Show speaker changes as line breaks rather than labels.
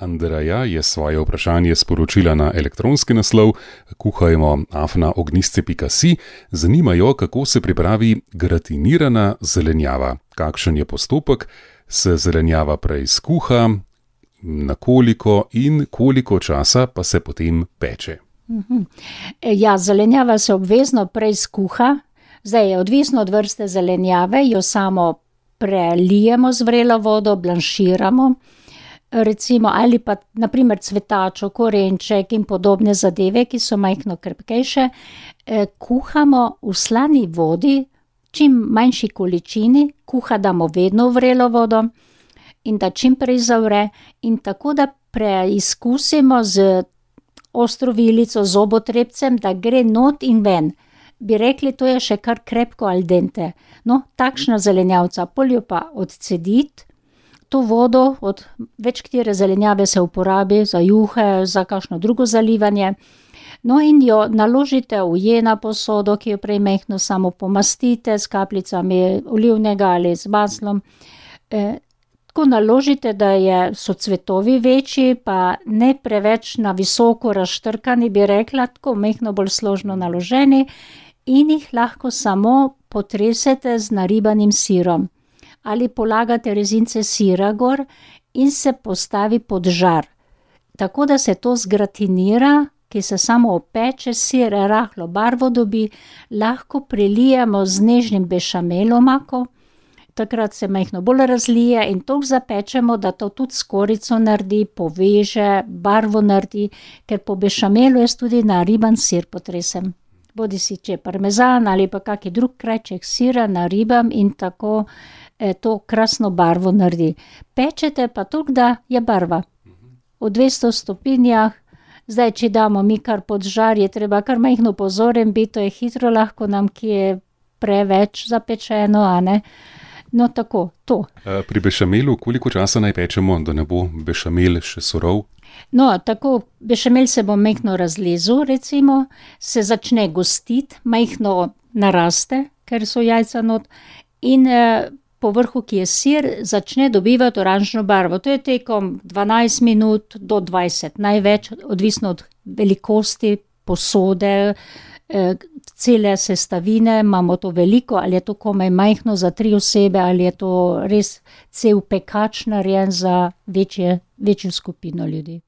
Andreja je svoje vprašanje sporočila na elektronski naslov kuhajmo@ognisce.si. Zanima jo, kako se pripravi gratinirana zelenjava. Kakšen je postopek, se zelenjava prej skuha, na koliko in koliko časa pa se potem peče.
Ja, zelenjava se obvezno prej skuha. Zdaj je odvisno od vrste zelenjave, jo samo prelijemo z vrelo vodo, blanširamo, recimo, ali pa naprimer cvetačo, korenček in podobne zadeve, ki so majhno krepkejše, kuhamo v slani vodi, čim manjši količini, damo vedno v vrelo vodo in da čim prej zavre in tako, da preizkusimo z ostro vilico, zobotrebcem, da gre not in ven. Bi rekli, to je še kar krepko al dente. No, takšna zelenjavca, pol jo pa odcediti. To vodo od več katere zelenjave se uporabi za juhe, za kakšno drugo zalivanje. No in jo naložite v jena posodo, ki jo prej majhno samo pomastite s kapljicami olivnega ali z maslom. Tako naložite, da so cvetovi večji, pa ne preveč na visoko razštrkani, bi rekla, tako majhno bolj složno naloženi in jih lahko samo potresete z naribanim sirom. Ali polagate rezince sira gor in se postavi pod žar. Tako da se to zgratinira, ki se samo opeče, sir rahlo barvo dobi, lahko prelijemo z nežnim bešamelom ako, takrat se majhno bolj razlije in toliko zapečemo, da to tudi skorico naredi, poveže, barvo naredi, ker po bešamelu jaz tudi nariban sir potresem. Bodisi če je parmezan ali pa kaki drug krajček sira naribam in tako to krasno barvo naredi. Pečete pa toliko, da je barva. V 200 stopinjah, zdaj, če damo mi kar pod žar, je treba kar majhno pozoren biti, to je hitro lahko nam, ki je preveč zapečeno, a ne. No, tako, to.
Pri bešamelu, koliko časa naj pečemo, da ne bo bešamel še surov?
No, tako, bešamel se bo majhno razlezel, recimo, se začne gostiti, majhno naraste, ker so jajca not, in po vrhu, ki je sir, začne dobivati oranžno barvo. To je tekom 12 minut do 20, največ, odvisno od velikosti posode, cele sestavine, imamo to veliko, ali je to komaj majhno za 3 osebe, ali je to res cel pekač narejen za večjo skupino ljudi.